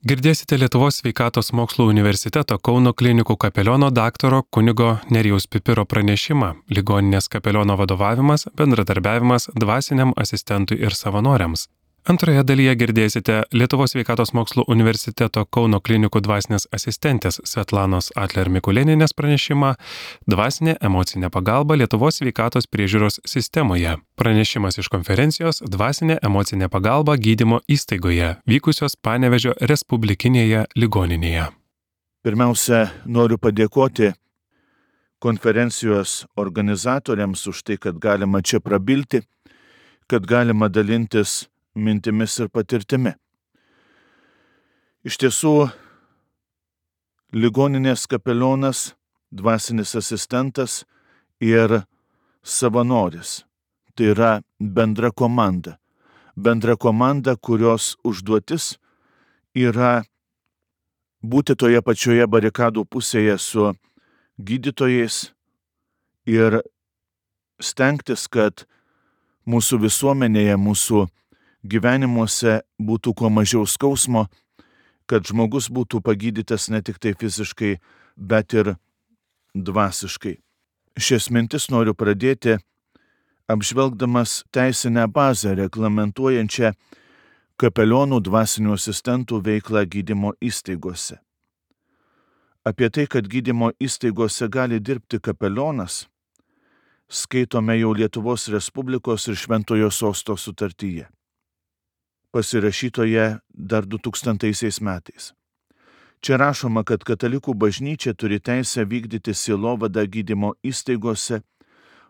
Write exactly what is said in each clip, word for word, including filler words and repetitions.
Girdėsite Lietuvos sveikatos mokslų universiteto Kauno klinikų kapeliono daktaro kunigo Nerijaus Pipiro pranešimą Ligoninės kapeliono vadovavimas, bendradarbiavimas dvasiniam asistentui ir savanoriams. Antroje dalyje girdėsite Lietuvos sveikatos mokslų universiteto Kauno klinikų dvasinės asistentės Svetlanos Atler Mikulėnienės pranešimą Dvasinė emocinė pagalba Lietuvos sveikatos priežiūros sistemoje. Pranešimas iš konferencijos Dvasinė emocinė pagalba gydymo įstaigoje, vykusios Panevėžio Respublikinėje ligoninėje. Pirmiausia, noriu padėkoti konferencijos organizatoriams už tai, kad galima čia prabilti, kad galima dalintis mintimis ir patirtimi. Iš tiesų, ligoninės kapelionas, dvasinis asistentas ir savanoris. Tai yra bendra komanda. Bendra komanda, kurios užduotis yra būti toje pačioje barikadų pusėje su gydytojais ir stengtis, kad mūsų visuomenėje, mūsų gyvenimuose būtų kuo mažiau skausmo, kad žmogus būtų pagydytas ne tik tai fiziškai, bet ir dvasiškai. Šias mintis noriu pradėti apžvelgdamas teisinę bazę reglamentuojančią kapelionų dvasinių asistentų veiklą gydymo įstaigose. Apie tai, kad gydymo įstaigose gali dirbti kapelionas, skaitome jau Lietuvos Respublikos ir Šventojo Sosto sutartyje, pasirašytoje dar du tūkstantaisiais metais. Čia rašoma, kad katalikų bažnyčia turi teisę vykdyti sielovadą gydymo įstaigose,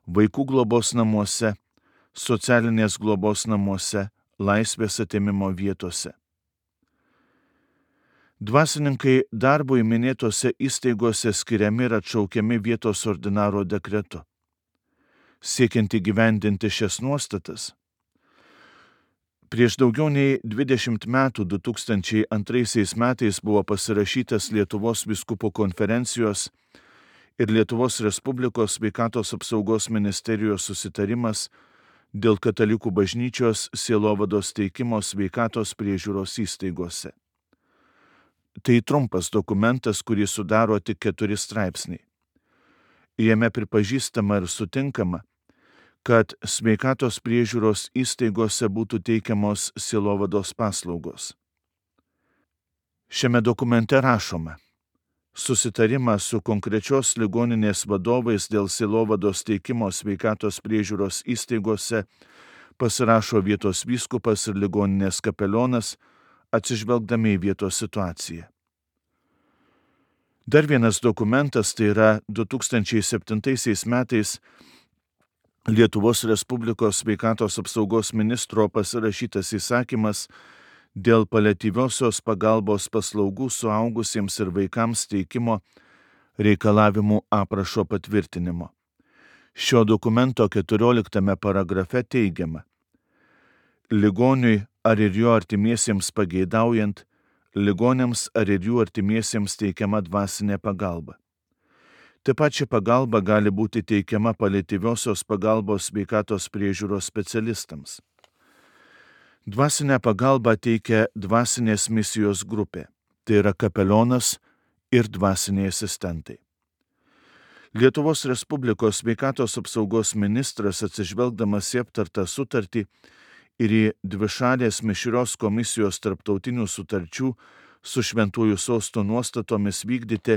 vaikų globos namuose, socialinės globos namuose, laisvės atėmimo vietose. Dvasininkai darbui minėtose įstaigose skiriami ir atšaukiami vietos ordinaro dekretu. Siekiant įgyvendinti šias nuostatas, prieš daugiau nei dvidešimt metų, du tūkstančiai antraisiais metais buvo pasirašytas Lietuvos vyskupų konferencijos ir Lietuvos Respublikos sveikatos apsaugos ministerijos susitarimas dėl katalikų bažnyčios sielovados teikimo sveikatos priežiūros įstaigose. Tai trumpas dokumentas, kurį sudaro tik keturi straipsniai. Jame pripažįstama ir sutinkama, kad sveikatos priežiūros įstaigose būtų teikiamos sielovados paslaugos. Šiame dokumente rašoma: susitarimą su konkrečios ligoninės vadovais dėl sielovados teikimo sveikatos priežiūros įstaigose pasirašo vietos vyskupas ir ligoninės kapelionas, atsižvelgdami į vietos situaciją. Dar vienas dokumentas, tai yra du tūkstančiai septintaisiais metais Lietuvos Respublikos sveikatos apsaugos ministro pasirašytas įsakymas dėl paliatyviosios pagalbos paslaugų suaugusiems ir vaikams teikimo reikalavimų aprašo patvirtinimo. Šio dokumento keturioliktame paragrafe teigiama: ligoniui ar ir jo artimiesiems pageidaujant, ligoniams ar ir jų artimiesiems teikiama dvasinė pagalba. Taip pat ši pagalba gali būti teikiama paliatyviosios pagalbos sveikatos priežiūros specialistams. Dvasinę pagalbą teikia dvasinės misijos grupė, tai yra kapelionas ir dvasiniai asistentai. Lietuvos Respublikos sveikatos apsaugos ministras, atsižvelgdamas į aptartą sutartį ir į dvišalės mišrios komisijos tarptautinių sutarčių su Šventuoju Sostu nuostatomis vykdyti,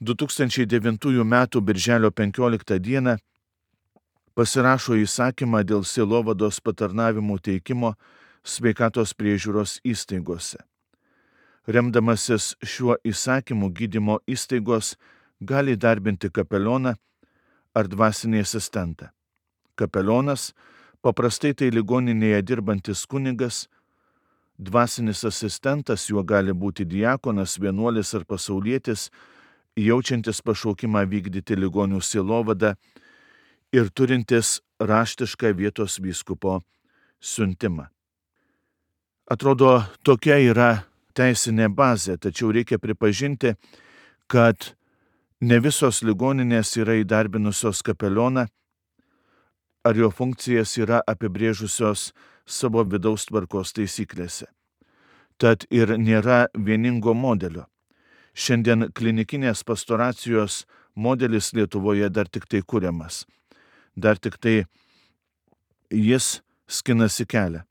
du tūkstančiai devintųjų metų birželio penkioliktą dieną pasirašo įsakymą dėl sielovados patarnavimų teikimo sveikatos priežiūros įstaigose. Remdamasis šiuo įsakymu, gydymo įstaigos gali darbinti kapelioną ar dvasinį asistentą. Kapelionas paprastai tai ligoninėje dirbantis kunigas, dvasinis asistentas juo gali būti diakonas, vienuolis ar pasaulietis, jaučiantis pašaukimą vykdyti ligonių sielovadą ir turintis raštišką vietos vyskupo siuntimą. Atrodo, tokia yra teisinė bazė, tačiau reikia pripažinti, kad ne visos ligoninės yra įdarbinusios kapelioną ar jo funkcijas yra apibrėžusios savo vidaus tvarkos taisyklėse. Tad ir nėra vieningo modelio. Šiandien klinikinės pastoracijos modelis Lietuvoje dar tik tai kuriamas. Dar tik tai jis skinasi kelią.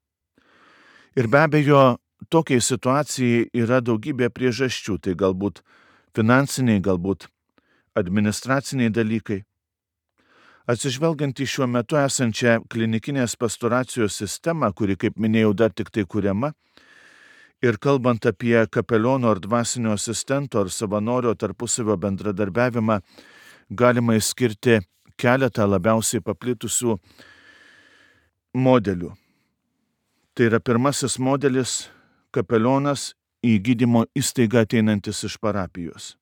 Ir be abejo, tokiai situacijai yra daugybė priežasčių. Tai galbūt finansiniai, galbūt administraciniai dalykai. Atsižvelgiant į šiuo metu esančią klinikinės pastoracijos sistemą, kuri, kaip minėjau, dar tik tai kuriama, ir kalbant apie kapeliono ar dvasinio asistento ar savanorio tarpusavio bendradarbiavimą, galima išskirti keletą labiausiai paplitusių modelių. Tai yra pirmasis modelis – kapelionas į gydymo įstaigą ateinantis iš parapijos.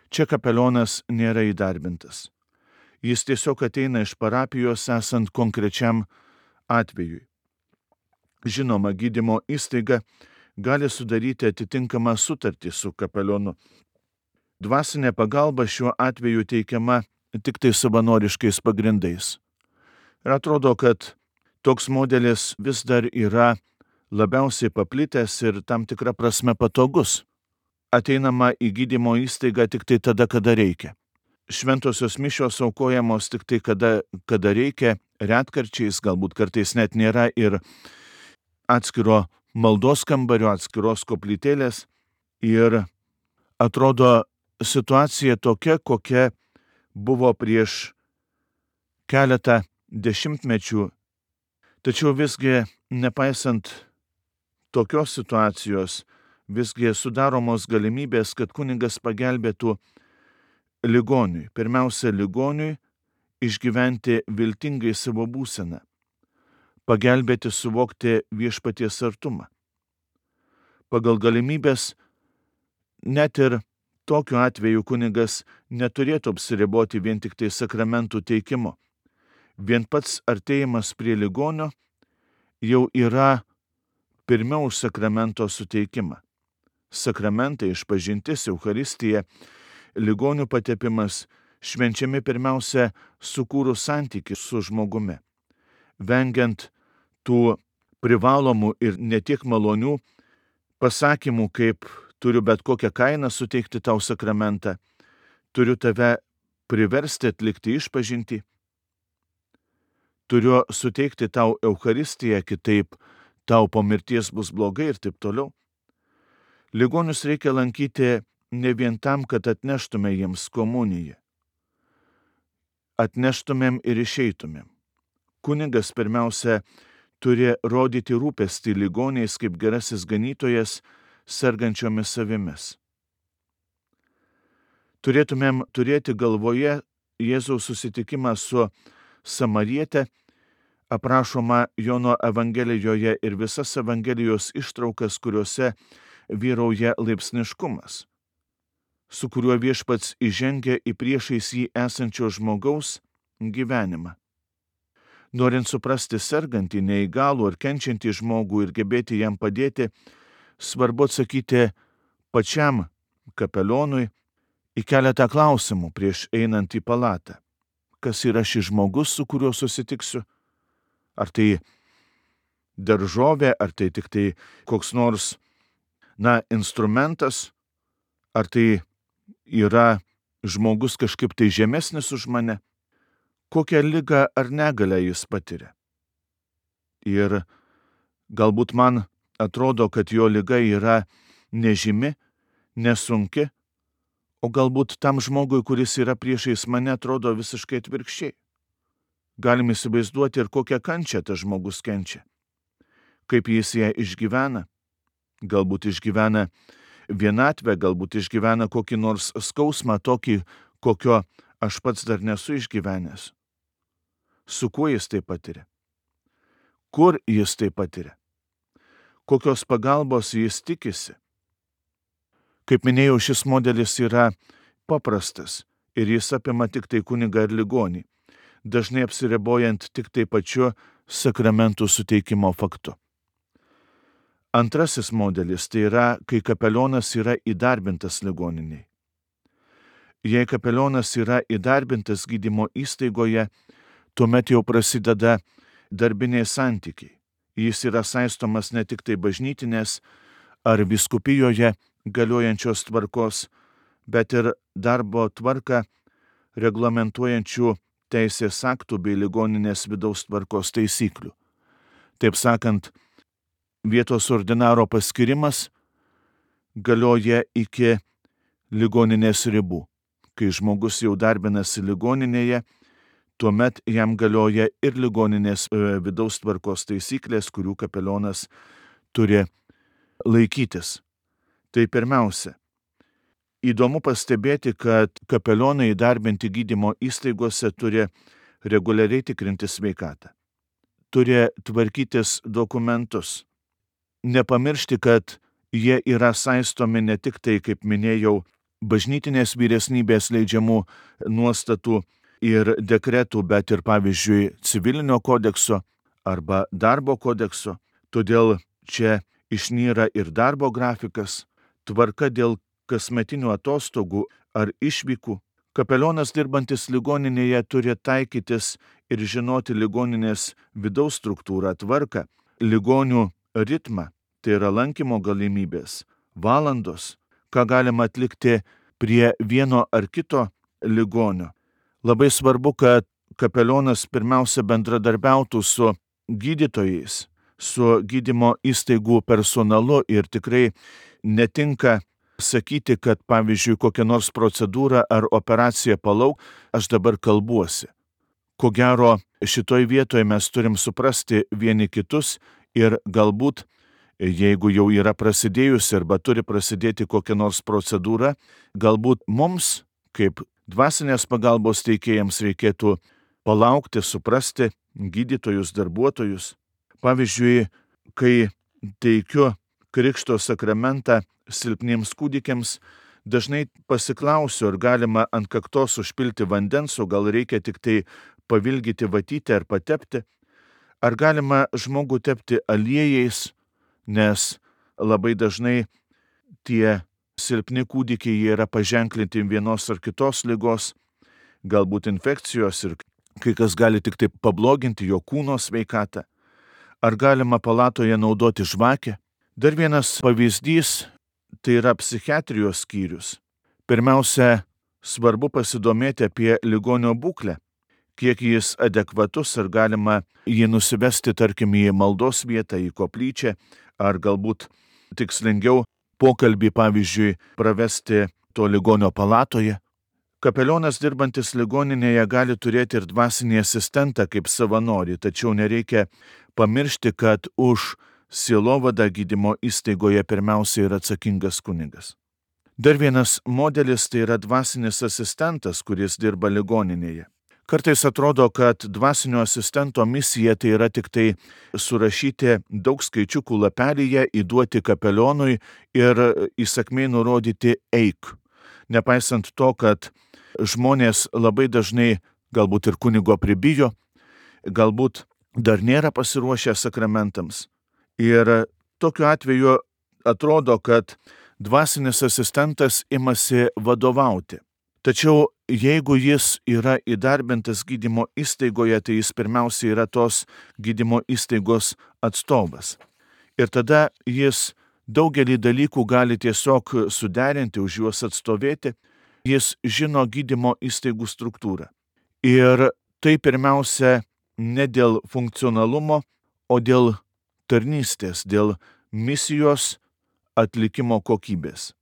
Čia kapelionas nėra įdarbintas. Jis tiesiog ateina iš parapijos esant konkrečiam atvejui. Žinoma, gydymo įstaiga gali sudaryti atitinkamą sutartį su kapelionu. Dvasinė pagalba šiuo atveju teikiama tik tai savanoriškais pagrindais. Ir atrodo, kad toks modelis vis dar yra labiausiai paplitęs ir tam tikra prasme patogus. Ateinama į gydymo įstaigą tik tai tada, kada reikia. Šventosios mišios aukojamos tik tai, kada, kada reikia, retkarčiais, galbūt kartais net nėra ir atskiro maldos kambario, atskiros koplytėlės. Ir atrodo situacija tokia, kokia buvo prieš keletą dešimtmečių. Tačiau visgi, nepaisant tokios situacijos, visgi sudaromos galimybės, kad kunigas pagelbėtų ligoniui, pirmiausia ligoniui, išgyventi viltingai savo būseną, pagelbėti suvokti viešpaties artumą. Pagal galimybės, net ir tokiu atveju kunigas neturėtų apsiriboti vien tik tai sakramentų teikimu. Vien pats artėjimas prie ligonio jau yra pirmiau už sakramento suteikimą. Sakramentai, išpažintis, Eucharistija, ligonių patepimas švenčiami pirmiausia sukūrus santykį su žmogumi, vengiant tų privalomų ir ne tiek malonių pasakymų, kaip turiu bet kokią kainą suteikti tau sakramentą, turiu tave priversti atlikti išpažintį, turiu suteikti tau Eucharistiją, kitaip tau po mirties bus blogai ir taip toliau. Ligonius reikia lankyti ne vien tam, kad atneštume jiems komuniją. Atneštumėm ir išeitumėm. Kunigas pirmiausia turi rodyti rūpestį ligoniais kaip gerasis ganytojas sergančiomis savimis. Turėtumėm turėti galvoje Jėzaus susitikimą su Samariete, aprašoma Jono Evangelijoje ir visas Evangelijos ištraukas, kuriuose vyrauja laipsniškumas, su kuriuo viešpats įžengia į priešais jį esančio žmogaus gyvenimą. Norint suprasti sergantį, neįgalų ar kenčiantį žmogų ir gebėti jam padėti, svarbu atsakyti pačiam kapelionui į keletą klausimų prieš einant į palatą. Kas yra šis žmogus, su kuriuo susitiksiu? Ar tai daržovė, ar tai tik tai koks nors, na, instrumentas, ar tai yra žmogus kažkaip tai žemesnis už mane? Kokią ligą ar negalę jis patiria? Ir galbūt man atrodo, kad jo liga yra nežymi, nesunki, o galbūt tam žmogui, kuris yra priešais mane, atrodo visiškai atvirkščiai. Galim įsivaizduoti ir kokią kančią tas žmogus kenčia. Kaip jis ją išgyvena. Galbūt išgyvena vienatvę, galbūt išgyvena kokį nors skausmą tokį, kokio aš pats dar nesu išgyvenęs. Su kuo jis tai patiria? Kur jis tai patiria? Kokios pagalbos jis tikisi? Kaip minėjau, šis modelis yra paprastas ir jis apima tik tai kunigą ir ligonį, dažnai apsiribojant tik tai pačiu sakramentų suteikimo faktu. Antrasis modelis tai yra, kai kapelionas yra įdarbintas ligoniniai. Jei kapelionas yra įdarbintas gydymo įstaigoje, tuomet jau prasideda darbiniai santykiai. Jis yra saistomas ne tik tai bažnytinės ar vyskupijoje galiojančios tvarkos, bet ir darbo tvarką reglamentuojančių teisės aktų bei ligoninės vidaus tvarkos taisyklių. Taip sakant, vietos ordinaro paskirimas galioja iki ligoninės ribų. Kai žmogus jau darbinasi ligoninėje, tuomet jam galioja ir ligoninės vidaus tvarkos taisyklės, kurių kapelionas turi laikytis. Tai pirmiausia, įdomu pastebėti, kad kapelionai įdarbinti gydymo įstaigose turi reguliariai tikrinti sveikatą. Turi tvarkytis dokumentus. Nepamiršti, kad jie yra saistomi ne tik tai, kaip minėjau, bažnytinės vyresnybės leidžiamų nuostatų ir dekretų, bet ir, pavyzdžiui, civilinio kodekso arba darbo kodekso. Todėl čia išnyra ir darbo grafikas, tvarka dėl kasmetinių atostogų ar išvykų. Kapelionas dirbantis ligoninėje turi taikytis ir žinoti ligoninės vidaus struktūrą, tvarką, ligonių ritmą, tai yra lankymo galimybės, valandos, ką galima atlikti prie vieno ar kito ligonio. Labai svarbu, kad kapelionas pirmiausia bendradarbiautų su gydytojais, su gydymo įstaigų personalu ir tikrai netinka sakyti, kad pavyzdžiui kokią nors procedūrą ar operaciją palauk, aš dabar kalbuosi. Ko gero, šitoj vietoje mes turim suprasti vieni kitus ir galbūt, jeigu jau yra prasidėjusi arba turi prasidėti kokia nors procedūra, galbūt mums, kaip dvasinės pagalbos teikėjams, reikėtų palaukti, suprasti gydytojus, darbuotojus. Pavyzdžiui, kai teikiu krikšto sakramentą silpniems kūdikiams, dažnai pasiklausiu, ar galima ant kaktos užpilti vandens, o gal reikia tik tai pavilgyti vatytę ar patepti. Ar galima žmogų tepti aliejais, nes labai dažnai tie silpni kūdikiai jie yra paženklinti vienos ar kitos ligos, galbūt infekcijos ir kai kas gali tik tai pabloginti jo kūno sveikatą. Ar galima palatoje naudoti žvakę? Dar vienas pavyzdys tai yra psichiatrijos skyrius. Pirmiausia, svarbu pasidomėti apie ligonio būklę, kiek jis adekvatus, ar galima jį nusivesti, tarkim, į maldos vietą, į koplyčią, ar galbūt tikslingiau pokalbį, pavyzdžiui, pravesti to ligonio palatoje. Kapelionas dirbantis ligoninėje gali turėti ir dvasinį asistentą kaip savanorį, tačiau nereikia pamiršti, kad už sielovadą gydymo įstaigoje pirmiausia yra atsakingas kunigas. Dar vienas modelis tai yra dvasinis asistentas, kuris dirba ligoninėje. Kartais atrodo, kad dvasinio asistento misija tai yra tik tai surašyti daug skaičiukų lapelyje, įduoti kapelionui ir įsakmiai nurodyti eik. Nepaisant to, kad žmonės labai dažnai galbūt ir kunigo pribijo, galbūt dar nėra pasiruošę sakramentams. Ir tokiu atveju atrodo, kad dvasinis asistentas imasi vadovauti. Tačiau jeigu jis yra įdarbintas gydymo įstaigoje, tai jis pirmiausia yra tos gydymo įstaigos atstovas. Ir tada jis daugelį dalykų gali tiesiog suderinti, už juos atstovėti. Jis žino gydymo įstaigų struktūrą. Ir tai pirmiausia ne dėl funkcionalumo, o dėl tarnystės, dėl misijos atlikimo kokybės.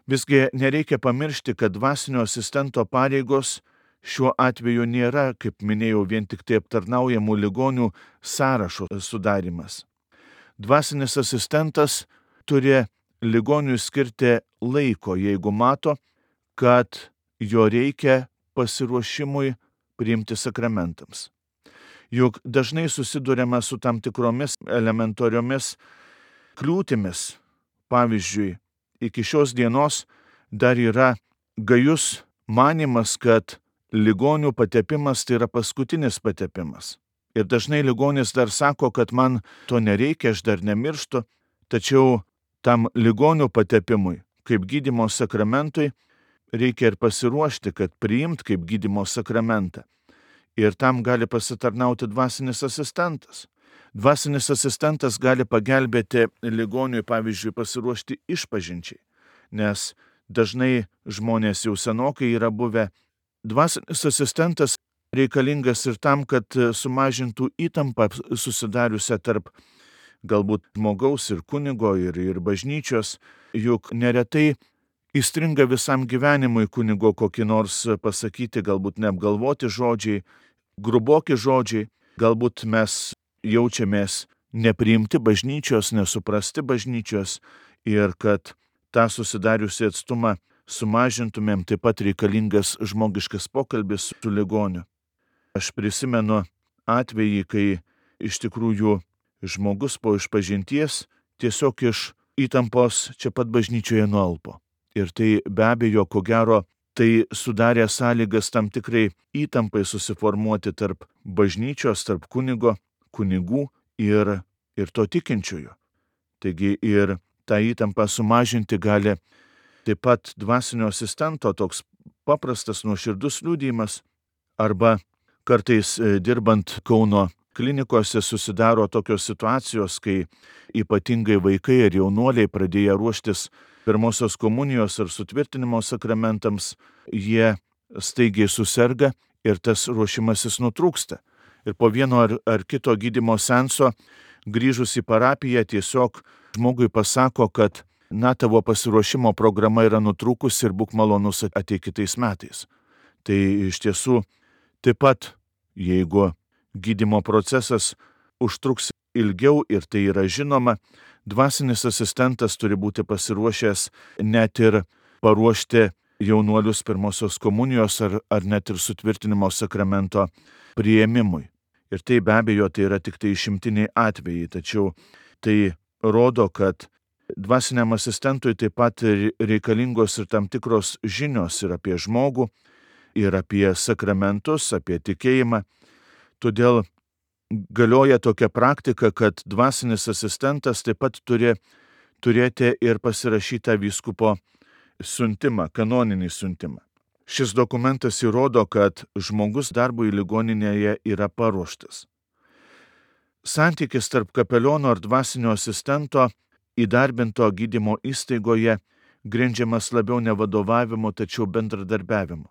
Visgi nereikia pamiršti, kad dvasinio asistento pareigos šiuo atveju nėra, kaip minėjau, vien tik tai aptarnaujamų ligonių sąrašo sudarimas. Dvasinis asistentas turi ligoniui skirti laiko, jeigu mato, kad jo reikia pasiruošimui priimti sakramentams. Juk dažnai susiduriama su tam tikromis elementariomis kliūtimis. Pavyzdžiui, iki šios dienos dar yra gajus manymas, kad ligonių patepimas tai yra paskutinis patepimas. Ir dažnai ligonis dar sako, kad man to nereikia, aš dar nemirštu, tačiau tam ligonių patepimui, kaip gydymo sakramentui, reikia ir pasiruošti, kad priimt kaip gydymo sakramentą. Ir tam gali pasitarnauti dvasinis asistentas. Dvasinis asistentas gali pagelbėti ligoniui, pavyzdžiui, pasiruošti išpažinčiai, nes dažnai žmonės jau senokai yra buvę. Dvasinis asistentas reikalingas ir tam, kad sumažintų įtampą susidariusią tarp galbūt žmogaus ir kunigo ir, ir bažnyčios, juk neretai įstringa visam gyvenimui kunigo kokį nors pasakyti, galbūt neapgalvoti žodžiai, gruboki žodžiai, galbūt mes jaučiamės nepriimti bažnyčios, nesuprasti bažnyčios ir kad tą susidariusią atstumą sumažintumėm, taip pat reikalingas žmogiškas pokalbis su ligoniu. Aš prisimenu atvejį, kai iš tikrųjų žmogus po išpažinties tiesiog iš įtampos čia pat bažnyčioje nualpo. Ir tai be abejo, ko gero, tai sudarė sąlygas tam tikrai įtampai susiformuoti tarp bažnyčios, tarp kunigo, kunigų ir, ir to tikinčiojo. Taigi ir tą įtampą sumažinti gali taip pat dvasinio asistento toks paprastas nuoširdus liudijimas, arba kartais dirbant Kauno klinikose susidaro tokios situacijos, kai ypatingai vaikai ir jaunuoliai pradėję ruoštis pirmosios komunijos ar sutvirtinimo sakramentams, jie staigiai suserga ir tas ruošimasis nutrūksta. Ir po vieno ar, ar kito gydymo seanso grįžus į parapiją tiesiog žmogui pasako, kad na, tavo pasiruošimo programa yra nutrūkusi ir būk malonus ateik kitais metais. Tai iš tiesų taip pat, jeigu gydymo procesas užtruks ilgiau ir tai yra žinoma, dvasinis asistentas turi būti pasiruošęs net ir paruošti jaunuolius pirmosios komunijos ar, ar net ir sutvirtinimo sakramento priėmimui. Ir tai be abejo tai yra tik tai išimtiniai atvejai, tačiau tai rodo, kad dvasiniam asistentui taip pat reikalingos ir tam tikros žinios ir apie žmogų, ir apie sakramentus, apie tikėjimą. Todėl galioja tokia praktika, kad dvasinis asistentas taip pat turi turėti ir pasirašytą vyskupo siuntimą, kanoninį siuntimą. Šis dokumentas įrodo, kad žmogus darbui ligoninėje yra paruoštas. Santykis tarp kapeliono ar dvasinio asistento įdarbinto gydymo įstaigoje grindžiamas labiau ne vadovavimu, tačiau bendradarbiavimu.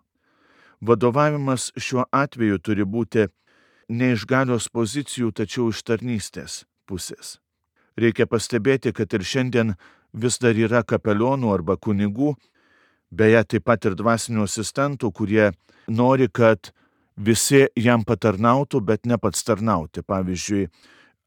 Vadovavimas šiuo atveju turi būti ne iš galios pozicijų, tačiau iš tarnystės pusės. Reikia pastebėti, kad ir šiandien vis dar yra kapelionų arba kunigų, beje taip pat ir dvasinių asistentų, kurie nori, kad visi jam patarnautų, bet ne pats tarnauti. Pavyzdžiui,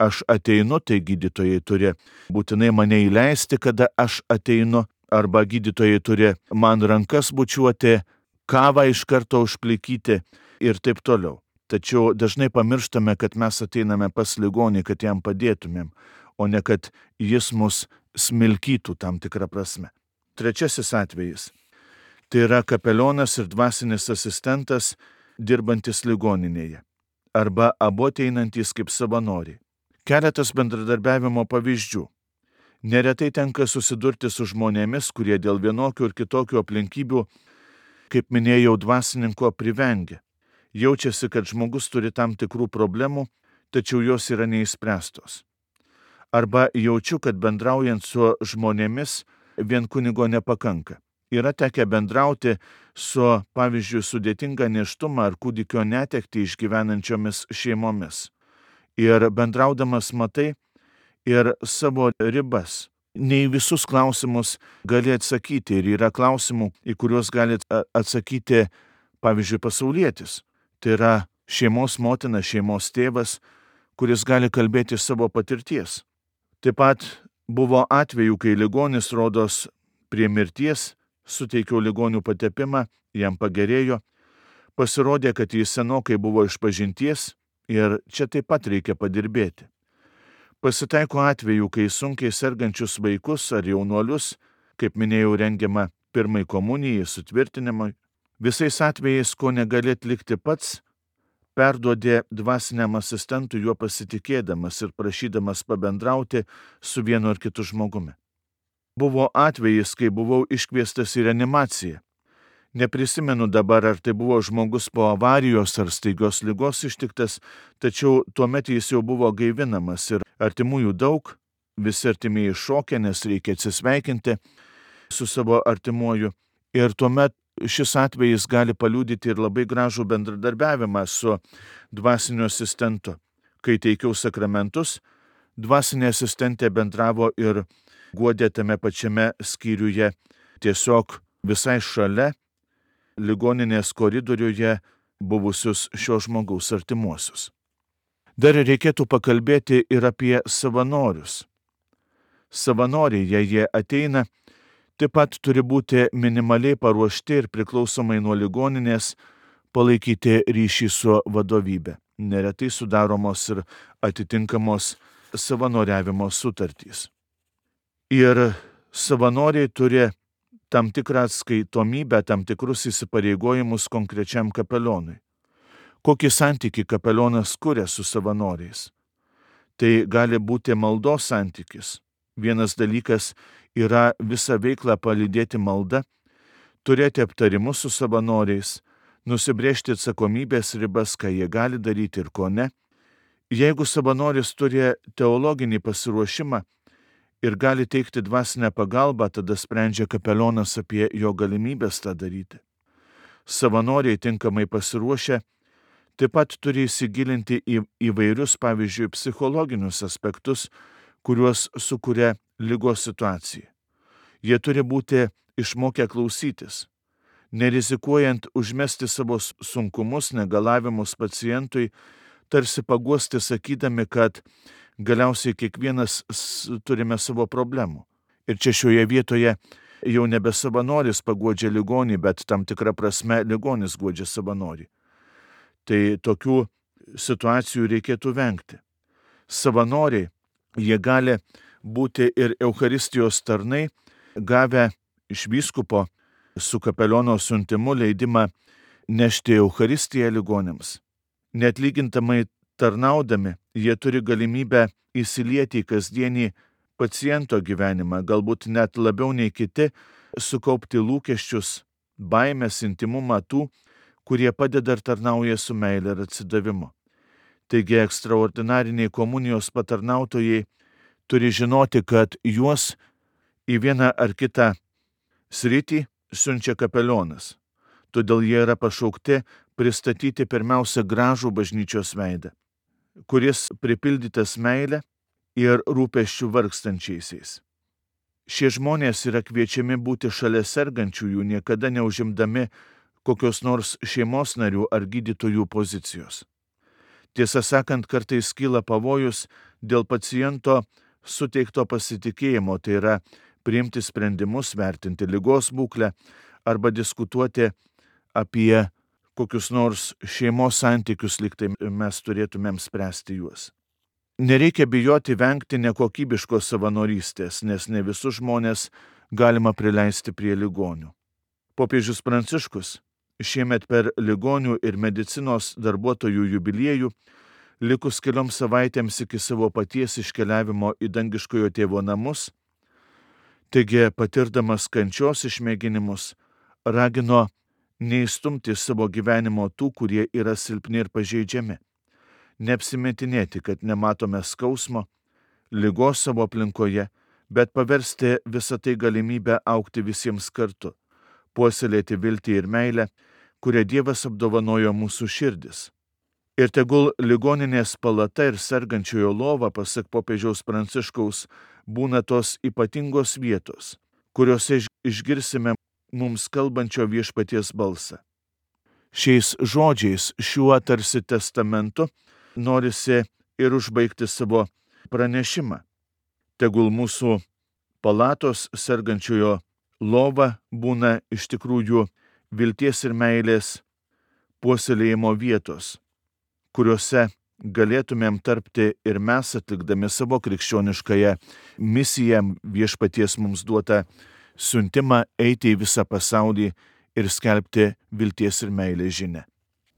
aš ateinu, tai gydytojai turi būtinai mane įleisti, kada aš ateinu, arba gydytojai turi man rankas bučiuoti, kavą iš karto užplikyti ir taip toliau. Tačiau dažnai pamirštame, kad mes ateiname pas ligonį, kad jam padėtumėm, o ne kad jis mus smilkytų tam tikrą prasme. Trečiasis atvejis. Tai yra kapelionas ir dvasinis asistentas dirbantis ligoninėje, arba abu ateinantys kaip savanoriai. Keletas bendradarbiavimo pavyzdžių. Neretai tenka susidurti su žmonėmis, kurie dėl vienokių ir kitokių aplinkybių, kaip minėjau, dvasininko privengia. Jaučiasi, kad žmogus turi tam tikrų problemų, tačiau jos yra neįspręstos. Arba jaučiu, kad bendraujant su žmonėmis vien kunigo nepakanka. Yra tekę bendrauti su, pavyzdžiui, sudėtinga nėštumą ar kūdikio netektį išgyvenančiomis šeimomis. Ir bendraudamas matai ir savo ribas. Ne į visus klausimus gali atsakyti ir yra klausimų, į kuriuos gali atsakyti, pavyzdžiui, pasaulietis. Tai yra šeimos motina, šeimos tėvas, kuris gali kalbėti savo patirties. Taip pat buvo atvejų, kai ligonis rodos prie mirties, suteikiau ligonių patepimą, jam pagerėjo, pasirodė, kad jis senokai buvo išpažinties ir čia taip pat reikia padirbėti. Pasitaiko atvejų, kai sunkiai sergančius vaikus ar jaunuolius, kaip minėjau, rengiama pirmai komunijai, sutvirtinimui. Visais atvejais, ko negali atlikti pats, perduodė dvasiniam asistentui juo pasitikėdamas ir prašydamas pabendrauti su vienu ar kitu žmogumi. Buvo atvejis, kai buvau iškviestas į reanimaciją. Neprisimenu dabar, ar tai buvo žmogus po avarijos ar staigios ligos ištiktas, tačiau tuomet jis jau buvo gaivinamas ir artimųjų daug, visi artimieji šokia, nes reikia atsisveikinti su savo artimuoju. Ir tuomet šis atvejis gali paliudyti ir labai gražų bendradarbiavimą su dvasiniu asistentu. Kai teikiau sakramentus, dvasinė asistentė bendravo ir guodė tame pačiame skyriuje, tiesiog visai šalia ligoninės koridoriuje buvusius šio žmogaus artimuosius. Dar reikėtų pakalbėti ir apie savanorius. Savanoriai, jei jie ateina, taip pat turi būti minimaliai paruošti ir priklausomai nuo ligoninės palaikyti ryšį su vadovybė. Neretai sudaromos ir atitinkamos savanoriavimo sutartys. Ir savanoriai turi tam tikrą atskaitomybę, tam tikrus įsipareigojimus konkrečiam kapelionui. Kokį santykį kapelionas kuria su savanoriais? Tai gali būti maldos santykis. Vienas dalykas yra visą veiklą palydėti malda, turėti aptarimus su savanoriais, nusibrėžti atsakomybės ribas, ką jie gali daryti ir ko ne. Jeigu savanoris turi teologinį pasiruošimą ir gali teikti dvasinę pagalbą, tada sprendžia kapelionas apie jo galimybės tą daryti. Savanoriai tinkamai pasiruošę taip pat turi įsigilinti į įvairius, pavyzdžiui, psichologinius aspektus, kuriuos sukuria ligos situacija. Jie turi būti išmokę klausytis, nerizikuojant užmesti savo sunkumus, negalavimus pacientui, tarsi paguosti sakydami, kad galiausiai kiekvienas turime savo problemų. Ir čia šioje vietoje jau nebe savanoris paguodžia ligonį, bet tam tikrą prasme ligonis guodžia savanorį. Tai tokių situacijų reikėtų vengti. Savanoriai, jie gali būti ir Eucharistijos tarnai, gavę iš vyskupo su kapeliono siuntimu leidimą nešti Eucharistiją ligonėms. Neatlygintamai tarnaudami, jie turi galimybę įsilieti į kasdienį paciento gyvenimą, galbūt net labiau nei kiti, sukaupti lūkesčius, baimės, intimumą tų, kurie padeda ir tarnauja su meile ir atsidavimu. Taigi ekstraordinariniai komunijos patarnautojai turi žinoti, kad juos į vieną ar kitą sritį siunčia kapelionas. Todėl jie yra pašaukti pristatyti pirmiausia gražų bažnyčios veidą, kuris pripildytas meile ir rūpesčių vargstančiaisiais. Šie žmonės yra kviečiami būti šalia sergančiųjų, niekada neužimdami kokios nors šeimos narių ar gydytojų pozicijos. Tiesą sakant, kartais kyla pavojus dėl paciento suteikto pasitikėjimo, tai yra priimti sprendimus, vertinti ligos būklę arba diskutuoti apie kokius nors šeimos santykius, lyg tai mes turėtumėm spręsti juos. Nereikia bijoti vengti nekokybiškos savanorystės, nes ne visus žmonės galima prileisti prie ligonių. Popiežius Pranciškus šiemet per ligonių ir medicinos darbuotojų jubiliejų, likus kelioms savaitėms iki savo paties iškeliavimo į dangiškojo tėvo namus, taigi patirdamas kančios išmėginimus, ragino neįstumti savo gyvenimo tų, kurie yra silpni ir pažeidžiami, neapsimetinėti, kad nematome skausmo, ligos savo aplinkoje, bet paversti visą tai galimybę augti visiems kartu, puoselėti viltį ir meilę, kurią Dievas apdovanojo mūsų širdis. Ir tegul ligoninės palata ir sergančiojo lova, pasak popiežiaus Pranciškaus, būna tos ypatingos vietos, kuriuose išgirsime mums kalbančio viešpaties balsą. Šiais žodžiais, šiuo tarsi testamentu, norisi ir užbaigti savo pranešimą. Tegul mūsų palatos sergančiojo lova būna iš tikrųjų vilties ir meilės puoselėjimo vietos, kuriuose galėtumėm tarpti ir mes, atlikdami savo krikščioniškąją misiją, viešpaties mums duotą siuntimą eiti į visą pasaulį ir skelbti vilties ir meilės žinią.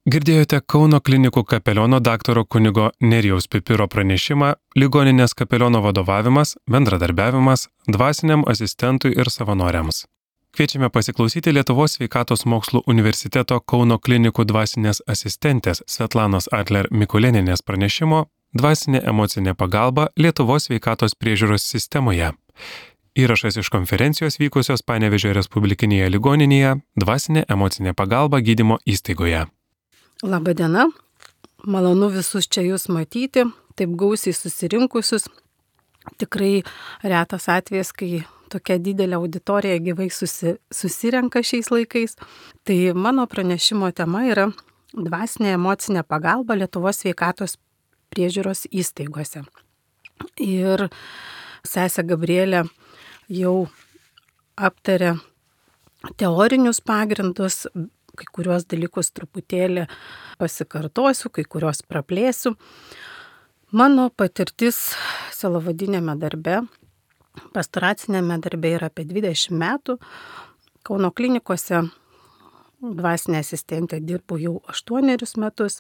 Girdėjote Kauno klinikų kapeliono daktaro kunigo Nerijaus Pipiro pranešimą Ligoninės kapeliono vadovavimas, bendradarbiavimas dvasiniam asistentui ir savanoriams. Kviečiame pasiklausyti Lietuvos sveikatos mokslų universiteto Kauno klinikų dvasinės asistentės Svetlanos Adler Mikulėnienės pranešimo Dvasinė emocinė pagalba Lietuvos sveikatos priežiūros sistemoje. Įrašas iš konferencijos vykusios Panevėžio Respublikinėje ligoninėje Dvasinė emocinė pagalba gydymo įstaigoje. Labadiena, malonu visus čia jūs matyti, taip gausiai susirinkusius. Tikrai retas atvejis, kai tokia didelė auditorija gyvai susi, susirenka šiais laikais. Tai mano pranešimo tema yra dvasinė emocinė pagalba Lietuvos sveikatos priežiūros įstaigose. Ir sesė Gabrielė jau aptarė teorinius pagrindus, kai kuriuos dalykus truputėlį pasikartosiu, kai kuriuos praplėsiu. Mano patirtis sielovadinėme darbe, pastoracinėme darbe yra apie dvidešimt metų. Kauno klinikose dvasinė asistentė dirbu jau aštuonerius metus.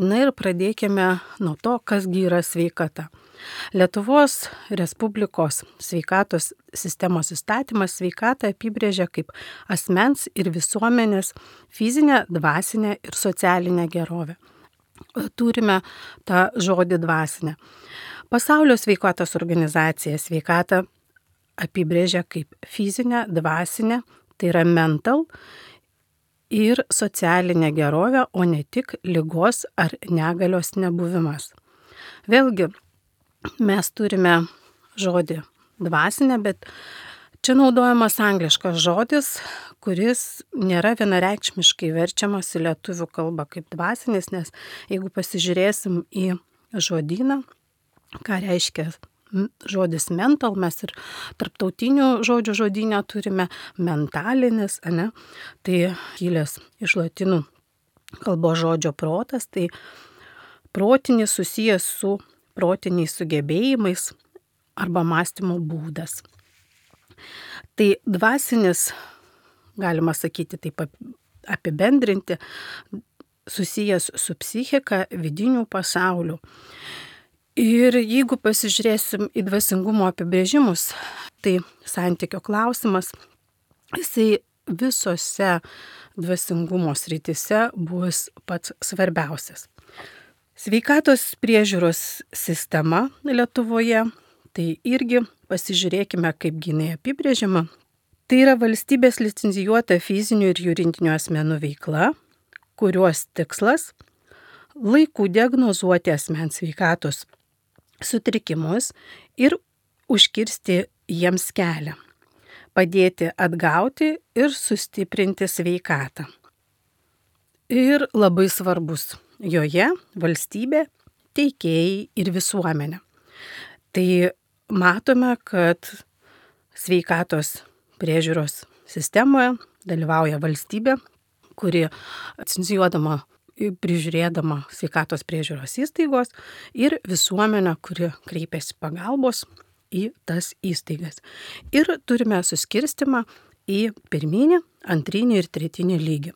Na ir pradėkime nuo to, kasgi yra sveikata. Lietuvos Respublikos sveikatos sistemos įstatymas sveikatą apibrėžia kaip asmens ir visuomenės fizinę, dvasinę ir socialinę gerovę. Turime tą žodį dvasinę. Pasaulio sveikatos organizacija sveikatą apibrėžia kaip fizinę, dvasinę, tai yra mental ir socialinę gerovę, o ne tik ligos ar negalios nebuvimas. Vėlgi, mes turime žodį dvasinę, bet čia naudojamas angliškas žodis, kuris nėra vienareikšmiškai verčiamas į lietuvių kalbą kaip dvasinis, nes jeigu pasižiūrėsim į žodyną, ką reiškia žodis mental, mes ir tarptautinių žodžių žodyne turime mentalinis, ane? Tai kilęs iš latinų kalbos žodžio protas, tai protinis susijęs su protiniais sugebėjimais arba mąstymo būdas. Tai dvasinis, galima sakyti taip apibendrinti, susijęs su psichika, vidiniu pasauliu. Ir jeigu pasižiūrėsim į dvasingumo apibrėžimus, tai santykio klausimas, jisai visose dvasingumo srityse bus pats svarbiausias. Sveikatos priežiūros sistema Lietuvoje, tai irgi pasižiūrėkime, kaip jinai apibrėžiama. Tai yra valstybės licencijuota fizinių ir juridinių asmenų veikla, kurios tikslas laiku diagnozuoti asmens sveikatos sutrikimus ir užkirsti jiems kelią, padėti atgauti ir sustiprinti sveikatą. Ir labai svarbus joje valstybė, teikėjai ir visuomenė. Tai matome, kad sveikatos priežiūros sistemoje dalyvauja valstybė, kuri licencijuodama prižiūrėdama sveikatos priežiūros įstaigos ir visuomenę, kuri kreipiasi pagalbos į tas įstaigas. Ir turime suskirstimą į pirminį, antrinį ir tretinį lygį.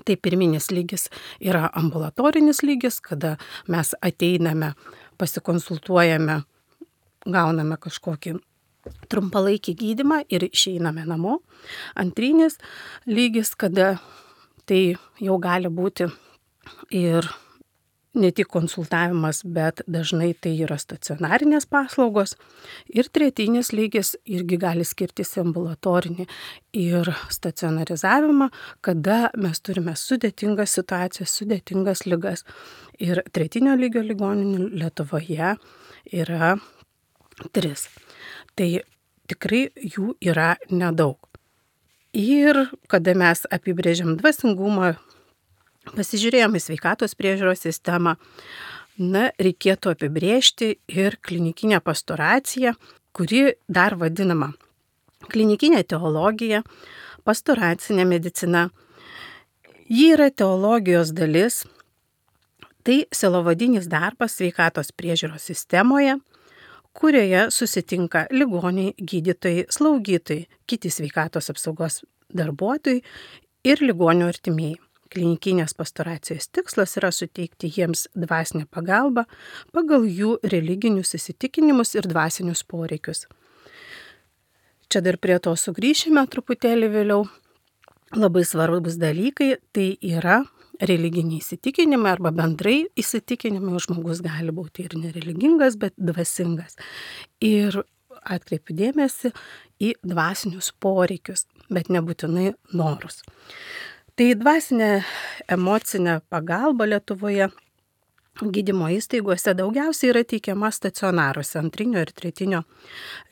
Tai pirminis lygis yra ambulatorinis lygis, kada mes ateiname, pasikonsultuojame, gauname kažkokį trumpalaikį gydymą ir išeiname namo. Antrinis lygis, kada tai jau gali būti ir ne tik konsultavimas, bet dažnai tai yra stacionarinės paslaugos. Ir tretinis lygis irgi gali skirtis ambulatorinį ir stacionarizavimą, kada mes turime sudėtingas situacijas, sudėtingas ligas. Ir tretinio lygio ligoninių Lietuvoje yra tris. Tai tikrai jų yra nedaug. Ir kada mes apibrėžiam dvasingumą, pasižiūrėjome į sveikatos priežiūros sistemą, na, reikėtų apibrėžti ir klinikinę pastoraciją, kuri dar vadinama klinikinė teologija, pastoracinė medicina. Ji yra teologijos dalis, tai sielovadinis darbas sveikatos priežiūros sistemoje, kurioje susitinka ligoniai, gydytojai, slaugytojai, kiti sveikatos apsaugos darbuotojai ir ligonių artimieji. Klinikinės pastoracijos tikslas yra suteikti jiems dvasinę pagalbą pagal jų religinius įsitikinimus ir dvasinius poreikius. čia dar prie to sugrįšime truputėlį vėliau. Labai svarbus dalykai tai yra religiniai įsitikinimai arba bendrai įsitikinimai. Žmogus gali būti ir nereligingas, bet dvasingas. Ir atkreipiu dėmesį į dvasinius poreikius, bet nebūtinai norus. Tai dvasinė emocinė pagalba Lietuvoje gydymo įstaigose daugiausiai yra teikiama stacionaruose, antrinio ir tretinio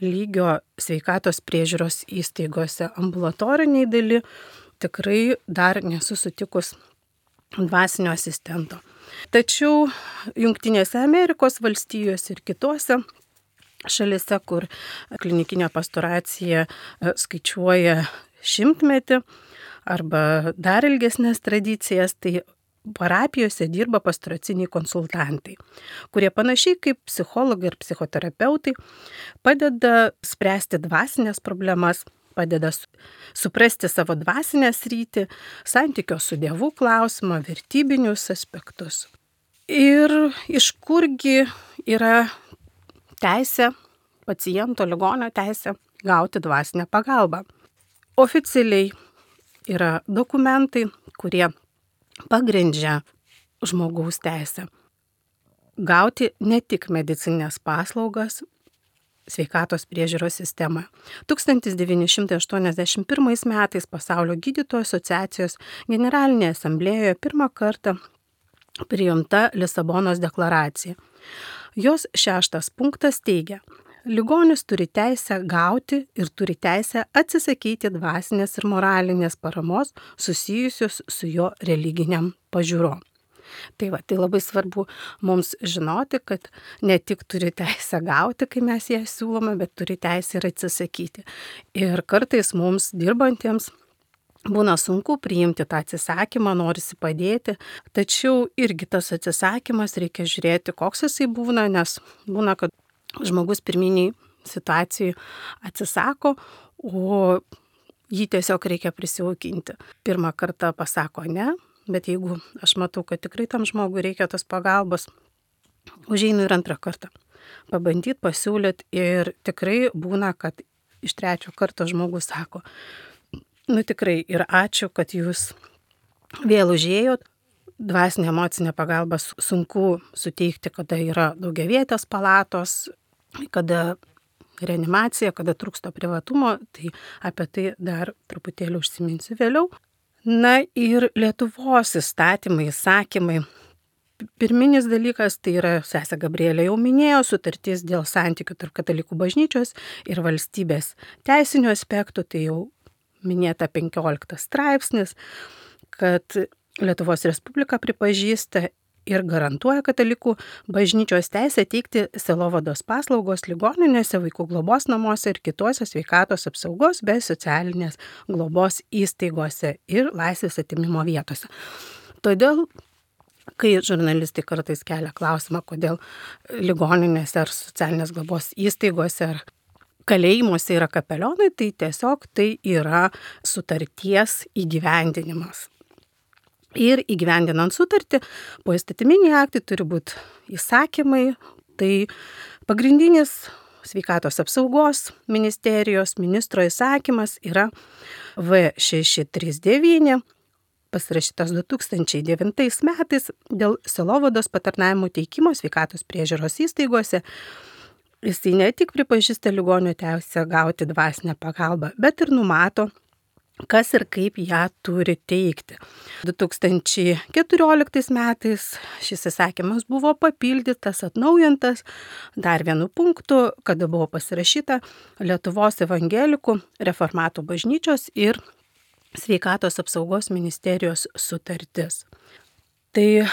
lygio sveikatos priežiūros įstaigose. Ambulatoriniai daly tikrai dar nesu sutikus dvasinio asistento. Tačiau Jungtinėse Amerikos valstijose ir kitose šalise, kur klinikinė pastoracija skaičiuoja šimtmetį arba dar ilgesnės tradicijas, tai parapijose dirba pastoraciniai konsultantai, kurie panašiai kaip psichologai ir psichoterapeutai padeda spręsti dvasinės problemas, padeda suprasti savo dvasinę sritį, santykio su Dievu klausimą, vertybinius aspektus. Ir iš kurgi yra teisė, paciento ligonio teisė gauti dvasinę pagalbą. Oficialiai yra dokumentai, kurie pagrindžia žmogaus teisę gauti ne tik medicinines paslaugas sveikatos priežiūros sistemoje. tūkstantis devyni šimtai aštuoniasdešimt pirmais metais Pasaulio gydytojų asociacijos generalinėje asamblėjoje pirmą kartą priimta Lisabonos deklaracija. Jos šeštas punktas teigia: ligonis turi teisę gauti ir turi teisę atsisakyti dvasinės ir moralinės paramos susijusios su jo religiniam pažiūrom. Tai va, tai labai svarbu mums žinoti, kad ne tik turi teisę gauti, kai mes ją siūlome, bet turi teisę ir atsisakyti. Ir kartais mums dirbantiems būna sunku priimti tą atsisakymą, norisi padėti, tačiau irgi tas atsisakymas reikia žiūrėti, koks jisai būna, nes būna, kad žmogus pirminiai situacijai atsisako, o jį tiesiog reikia prisijaukinti. Pirmą kartą pasako ne, bet jeigu aš matau, kad tikrai tam žmogui reikia tos pagalbos, užeinu ir antrą kartą. Pabandyti, pasiūlyti ir tikrai būna, kad iš trečio karto žmogus sako: nu tikrai ir ačiū, kad jūs vėl užėjot. Dvasinė emocinė pagalba sunku suteikti, kada yra daugiavietės palatos, kada reanimacija, kada trūksta privatumo, tai apie tai dar truputėlį užsiminsiu vėliau. Na ir Lietuvos įstatymai, įsakymai. Pirminis dalykas tai yra, sesė Gabrielė jau minėjo, sutartis dėl santykių tarp katalikų bažnyčios ir valstybės teisinių aspektų, tai jau minėta penkioliktas straipsnis, kad Lietuvos Respublika pripažįsta ir garantuoja katalikų bažnyčios teisę teikti sielovados paslaugos ligoninėse, vaikų globos namuose ir kitose sveikatos apsaugos bei socialinės globos įstaigose ir laisvės atėmimo vietose. Todėl, kai žurnalistai kartais kelia klausimą, kodėl ligoninėse ar socialinės globos įstaigose ar kalėjimuose yra kapelionai, tai tiesiog tai yra sutarties įgyvendinimas. Ir įgyvendinant sutartį, poįstatyminiai aktai turi būti įsakymai, tai pagrindinis sveikatos apsaugos ministerijos ministro įsakymas yra V šeši trys devyni, pasirašytas du tūkstančiai devintais metais dėl sielovados patarnavimų teikimo sveikatos priežiūros įstaigose. Jisai ne tik pripažįsta ligonio teisę gauti dvasinę pagalbą, bet ir numato, kas ir kaip ją turi teikti. du tūkstančiai keturioliktais metais šis įsakymas buvo papildytas, atnaujintas dar vienu punktu, kada buvo pasirašyta Lietuvos evangelikų reformatų bažnyčios ir sveikatos apsaugos ministerijos sutartis. Tai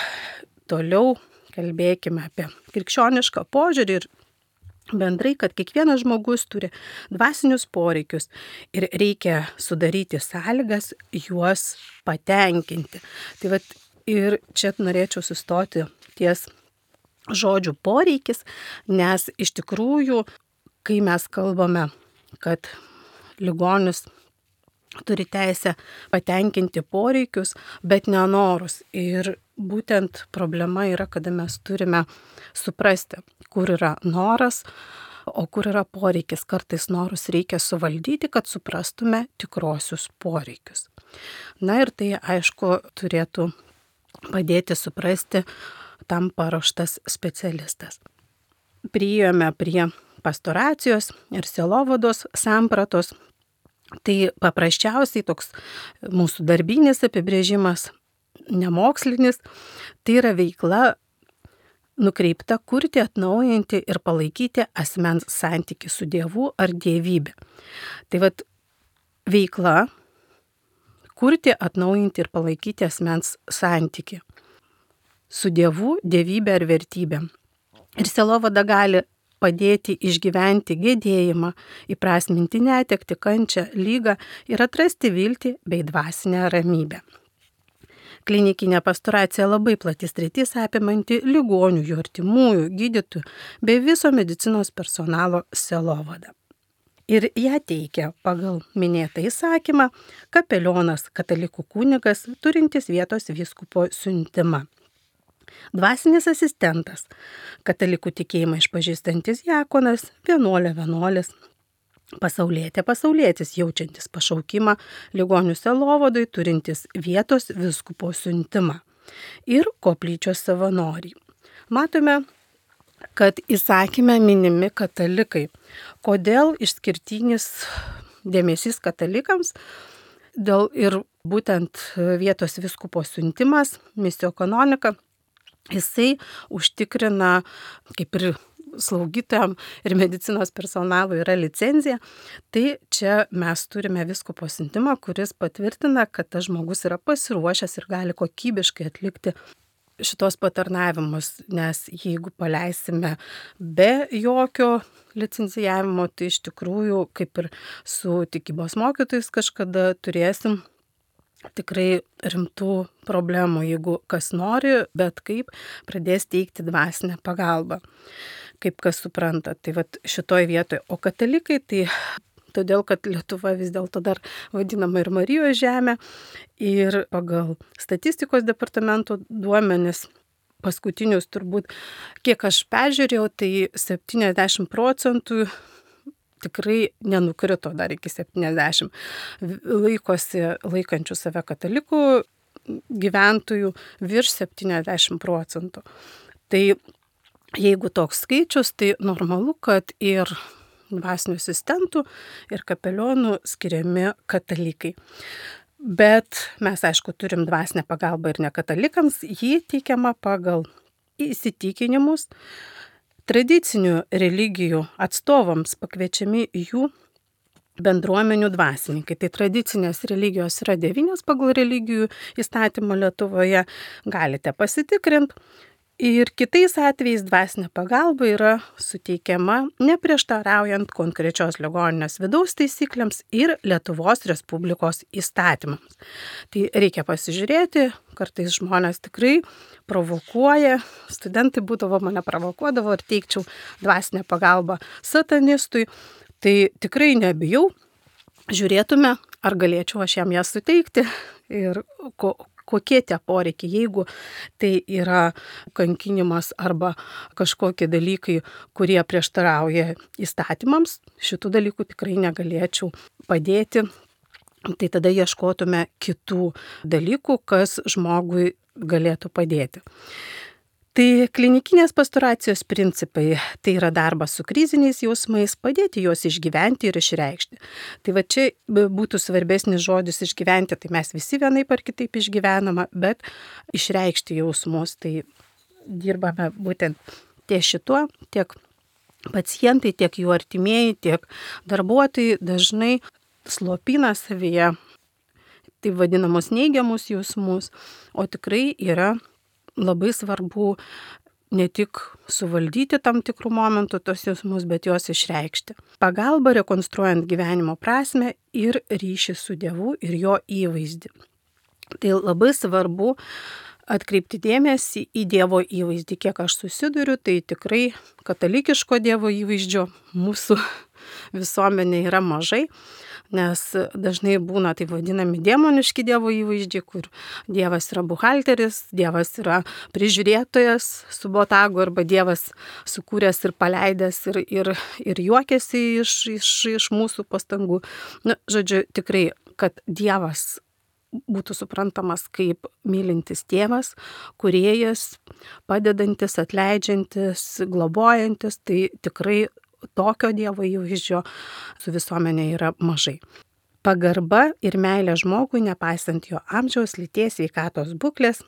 toliau kalbėkime apie krikščionišką požiūrį ir bendrai, kad kiekvienas žmogus turi dvasinius poreikius ir reikia sudaryti sąlygas juos patenkinti. Tai vat ir čia norėčiau sustoti ties žodžių poreikis, nes iš tikrųjų, kai mes kalbame, kad ligonis turi teisę patenkinti poreikius, bet nenorus. Ir būtent problema yra, kada mes turime suprasti, kur yra noras, o kur yra poreikis. Kartais norus reikia suvaldyti, kad suprastume tikrosius poreikius. Na ir tai, aišku, turėtų padėti suprasti tam paruoštas specialistas. Priėjome prie pastoracijos ir sielovados sampratos. Tai paprasčiausiai toks mūsų darbinis apibrėžimas, nemokslinis, tai yra veikla nukreipta kurti, atnaujinti ir palaikyti asmens santykį su Dievu ar dievybė. Tai vat veikla kurti, atnaujinti ir palaikyti asmens santykį su Dievu, dievybė ar vertybė. Ir sielovada gali padėti išgyventi gedėjimą, įprasminti netektį, kančią, lygą ir atrasti viltį bei dvasinę ramybę. Klinikinė pastoracija labai plati sritis apimanti ligonių, jų artimųjų, gydytojų bei viso medicinos personalo sielovadą. Ir ją teikia pagal minėtą įsakymą kapelionas, katalikų kunigas, turintis vietos vyskupo siuntimą. Dvasinis asistentas, katalikų tikėjimą išpažįstantis diakonas, vienuolė, vienuolis, pasaulietė, pasaulietis, jaučiantis pašaukimą ligonių sielovadai, turintis vietos vyskupo siuntimą ir koplyčios savanoriai. Matome, kad įsakyme minimi katalikai. Kodėl išskirtinis dėmesys katalikams? Dėl ir būtent vietos vyskupo siuntimas, misijų kanonika, jisai užtikrina, kaip ir slaugytojam ir medicinos personalui yra licenzija, tai čia mes turime vyskupo siuntimą, kuris patvirtina, kad tas žmogus yra pasiruošęs ir gali kokybiškai atlikti šitos patarnavimus, nes jeigu paleisime be jokio licencijavimo, tai iš tikrųjų, kaip ir su tikybos mokytojais kažkada turėsim tikrai rimtų problemų, jeigu kas nori, bet kaip pradės teikti dvasinę pagalbą, kaip kas supranta. Tai vat šitoj vietoje. O katalikai, tai todėl, kad Lietuva vis dėlto dar vadinama ir Marijos žemė, ir pagal statistikos departamento duomenis, paskutinius turbūt, kiek aš peržiūrėjau, tai septyniasdešimt procentų tikrai nenukrito dar iki septyniasdešimt. Laikosi laikančių save katalikų gyventojų virš septyniasdešimt procentų. Tai jeigu toks skaičius, tai normalu, kad ir dvasinių asistentų ir kapelionų skiriami katalikai. Bet mes, aišku, turim dvasinę pagalbą ir nekatalikams, ji teikiama pagal įsitikinimus. Tradicinių religijų atstovams pakviečiami jų bendruomenių dvasininkai. Tai tradicinės religijos yra devynios pagal religijų įstatymą Lietuvoje, galite pasitikrinti. Ir kitais atvejais dvasinė pagalba yra suteikiama neprieštaraujant konkrečios ligoninės vidaus taisyklėms ir Lietuvos Respublikos įstatymams. Tai reikia pasižiūrėti, kartais žmonės tikrai provokuoja, studentai būdavo mane provokuodavo ir teikčiau dvasinę pagalbą satanistui, tai tikrai nebijau, žiūrėtume, ar galėčiau aš jam ją suteikti ir ko, kokie tie poreikiai, jeigu tai yra kankinimas arba kažkokie dalykai, kurie prieštarauja įstatymams, šitų dalykų tikrai negalėčiau padėti. Tai tada ieškotume kitų dalykų, kas žmogui galėtų padėti. Tai klinikinės pastoracijos principai, tai yra darbas su kriziniais jausmais, padėti juos išgyventi ir išreikšti. Tai va čia būtų svarbesnis žodis išgyventi, tai mes visi vienaip ar kitaip išgyvename, bet išreikšti jausmus, tai dirbame būtent ties šituo, tiek pacientai, tiek jų artimieji, tiek darbuotojai dažnai slopina savyje tai vadinamus neigiamus jausmus, o tikrai yra labai svarbu ne tik suvaldyti tam tikrų momentų tos jausmus, bet juos išreikšti. Pagalba rekonstruojant gyvenimo prasmę ir ryšį su Dievu ir jo įvaizdį. Tai labai svarbu atkreipti dėmesį į Dievo įvaizdį. Kiek aš susiduriu, tai tikrai katalikiško Dievo įvaizdžio mūsų visuomenė yra mažai, nes dažnai būna taip vadinami demoniški Dievo įvaizdžiai, kur Dievas yra buhalteris, Dievas yra prižiūrėtojas su botagu arba Dievas sukūręs ir paleidęs ir, ir, ir juokiasi iš, iš, iš mūsų pastangų. Na, žodžiu, tikrai, kad Dievas būtų suprantamas kaip mylintis tėvas, kūrėjas, padedantis, atleidžiantis, globojantis, tai tikrai tokio Dievo įvaizdžio su visuomenė yra mažai. Pagarba ir meilė žmogui, nepaisant jo amžiaus, lyties, sveikatos būklės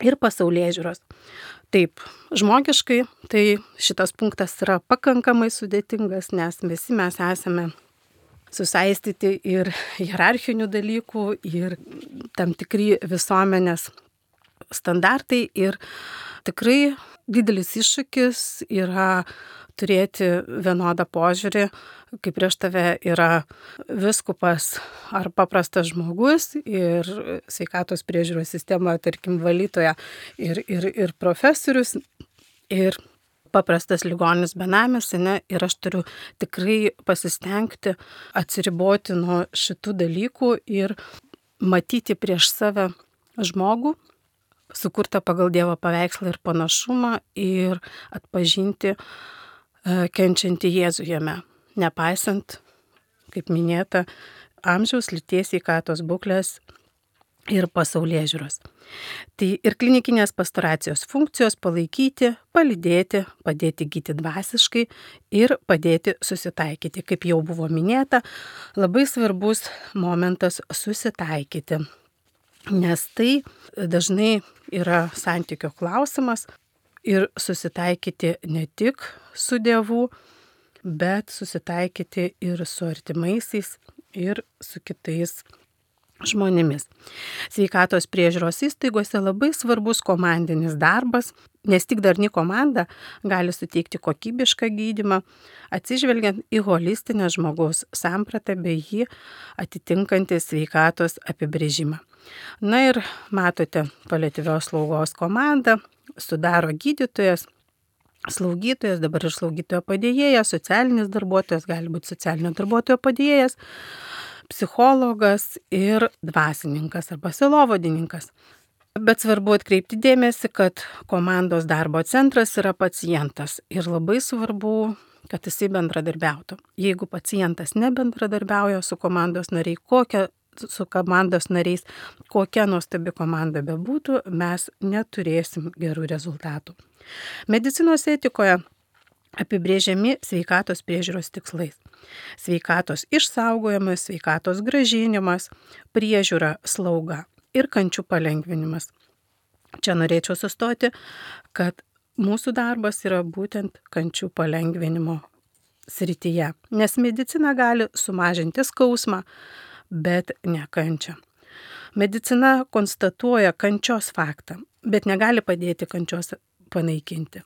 ir pasaulėžiūros. Taip, žmogiškai tai šitas punktas yra pakankamai sudėtingas, nes visi mes esame susaistyti ir hierarchinių dalykų, ir tam tikri visuomenės standartai. Ir tikrai didelis iššūkis yra turėti vienodą požiūrį, kai prieš tave yra viskupas ar paprastas žmogus ir sveikatos priežiūros sistemoje, tarkim, valytoja ir, ir, ir profesorius ir paprastas ligonis benamis, ne, ir aš turiu tikrai pasistengti atsiriboti nuo šitų dalykų ir matyti prieš save žmogų, sukurtą pagal Dievo paveikslą ir panašumą, ir atpažinti kenčiantį Jėzų jame, nepaisant, kaip minėta, amžiaus, lyties, sveikatos būklės ir pasaulėžiūros. Tai ir klinikinės pastoracijos funkcijos palaikyti, palydėti, padėti gyti dvasiškai ir padėti susitaikyti. Kaip jau buvo minėta, labai svarbus momentas susitaikyti, nes tai dažnai yra santykio klausimas ir susitaikyti ne tik su Dievu, bet susitaikyti ir su artimaisiais ir su kitais žmonėmis. Sveikatos priežiūros įstaigose labai svarbus komandinis darbas, nes tik darni komanda gali suteikti kokybišką gydymą, atsižvelgiant į holistinę žmogaus sampratą bei jį atitinkantį sveikatos apibrėžimą. Na ir matote, paliatyvios slaugos komandą sudaro gydytojas, slaugytojas, dabar ir slaugytojo padėjėjas, socialinis darbuotojas, gali būti socialinio darbuotojo padėjėjas, psichologas ir dvasininkas arba sielovadininkas. Bet svarbu atkreipti dėmesį, kad komandos darbo centras yra pacientas ir labai svarbu, kad jisai bendradarbiautų. Jeigu pacientas nebendradarbiauja su komandos nariai, kokia, su komandos nariais, kokia nuostabi komanda bebūtų, mes neturėsim gerų rezultatų. Medicinos etikoje apibrėžiami sveikatos priežiūros tikslais. Sveikatos išsaugojimas, sveikatos grąžinimas, priežiūra, slauga ir kančių palengvinimas. Čia norėčiau sustoti, kad mūsų darbas yra būtent kančių palengvinimo srityje, nes medicina gali sumažinti skausmą, bet ne kančią. Medicina konstatuoja kančios faktą, bet negali padėti kančios panaikinti.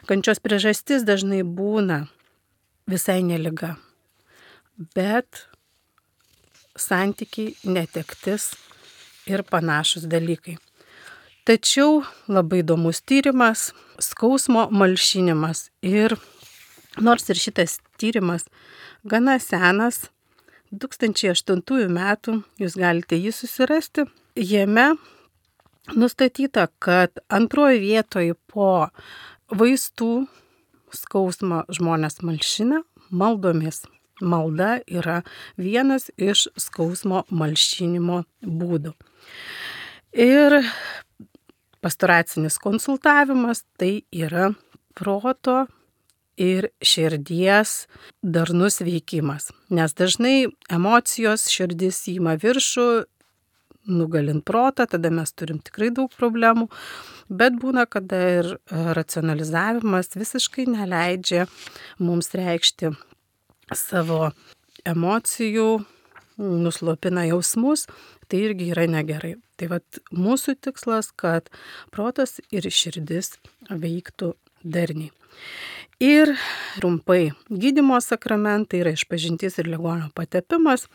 Kančios priežastis dažnai būna visai ne liga, bet santykiai, netektis ir panašus dalykai. Tačiau labai įdomus tyrimas, skausmo malšinimas. Ir nors ir šitas tyrimas gana senas, du tūkstančiai aštuntųjų metų, jūs galite jį susirasti, jame nustatyta, kad antroji vietoje po vaistų skausmą žmonės malšina maldomis. Malda yra vienas iš skausmo malšinimo būdų. Ir pastoracinis konsultavimas tai yra proto ir širdies darnus veikimas. Nes dažnai emocijos širdis įima viršų, nugalint protą, tada mes turim tikrai daug problemų, bet būna, kada ir racionalizavimas visiškai neleidžia mums reikšti savo emocijų, nuslopina jausmus, tai irgi yra negerai. Tai vat mūsų tikslas, kad protas ir širdis veiktų darniai. Ir trumpai, gydymo sakramentai yra išpažintis ir ligonio patepimas,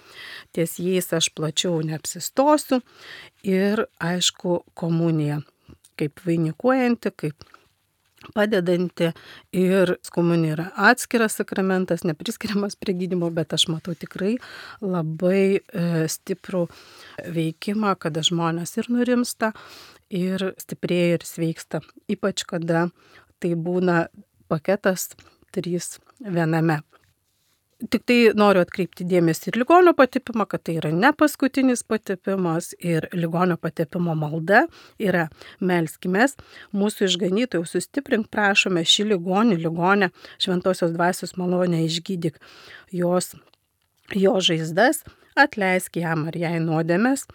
ties jais aš plačiau neapsistosiu, ir aišku komunija, kaip vainikuojanti, kaip padedanti ir komunija yra atskiras sakramentas, nepriskiriamas prie gydymo, bet aš matau tikrai labai e, stiprų veikimą, kada žmonės ir nurimsta, ir stiprėja, ir sveiksta. Ypač kada tai būna paketas trys viename. Tik tai noriu atkreipti dėmesį ir ligonio patepimą, kad tai yra ne paskutinis patepimas ir ligonio patepimo malda yra melskimės, mūsų išganytojų sustiprink, prašome šį ligonį, ligonę, šventosios dvasios malonę išgydyk jos, jo žaizdas, atleisk jam ar jai nuodėmes,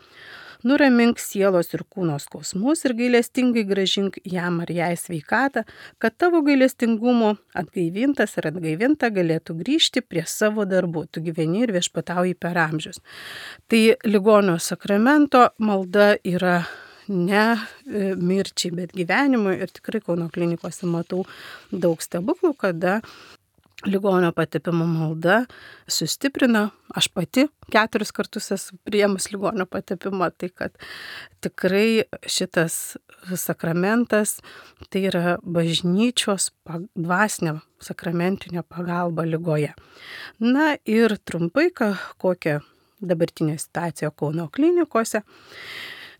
nuramink sielos ir kūno skausmus ir gailestingai grąžink jam ar jai sveikatą, kad tavo gailestingumo atgaivintas ir atgaivinta galėtų grįžti prie savo darbų. Tu gyveni ir viešpatauji per amžius. Tai ligonio sakramento malda yra ne mirčiai, bet gyvenimui, ir tikrai Kauno klinikose matau daug stebuklų, kada ligonio patepimo malda sustiprina. Aš pati keturis kartus esu priėmus ligonio patepimą, tai kad tikrai šitas sakramentas tai yra bažnyčios dvasinė sakramentinė pagalba ligoje. Na ir trumpai, kokia dabartinė situacija Kauno klinikose.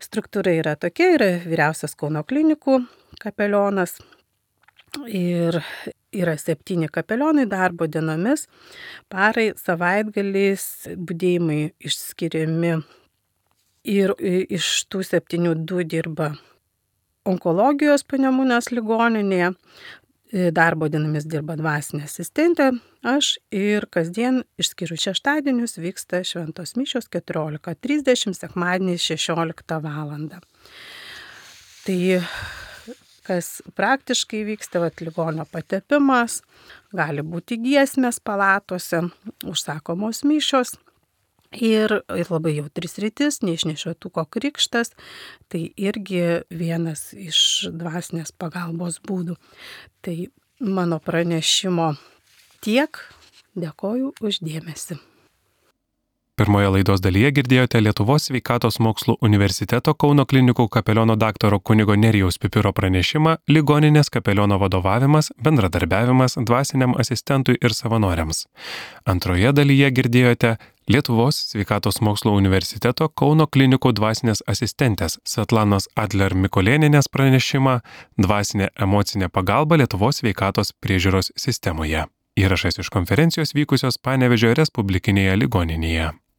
Struktūra yra tokia, yra vyriausias Kauno klinikų kapelionas ir yra septyni kapelionai darbo dienomis, parai, savaitgaliais, budėjimai išskiriami ir iš tų septynių du dirba onkologijos Panemunės ligoninėje, darbo dienomis dirba dvasinė asistentė, aš ir kasdien išskyrus šeštadienius vyksta šventos mišios keturiolika trisdešimt, sekmadienį šešioliktą valandą. Tai kas praktiškai vyksta, vat, ligonio patepimas, gali būti giesmės palatose, užsakomos mišios ir, ir labai jautris rytis, neišnešiotuko krikštas, tai irgi vienas iš dvasinės pagalbos būdų. Tai mano pranešimo tiek, dėkoju už dėmesį. Pirmoje laidos dalyje girdėjote Lietuvos sveikatos mokslų universiteto Kauno klinikų kapeliono daktaro kunigo Nerijaus Pipiro pranešimą Ligoninės kapeliono vadovavimas, bendradarbiavimas dvasiniam asistentui ir savanoriams. Antroje dalyje girdėjote Lietuvos sveikatos mokslų universiteto Kauno klinikų dvasinės asistentės Svetlanos Adler Mikolėnienės pranešimą Dvasinė emocinė pagalba Lietuvos sveikatos priežiūros sistemoje. Įrašas iš konferencijos vykusios Panevėžio Respublikinėje ligoninėje.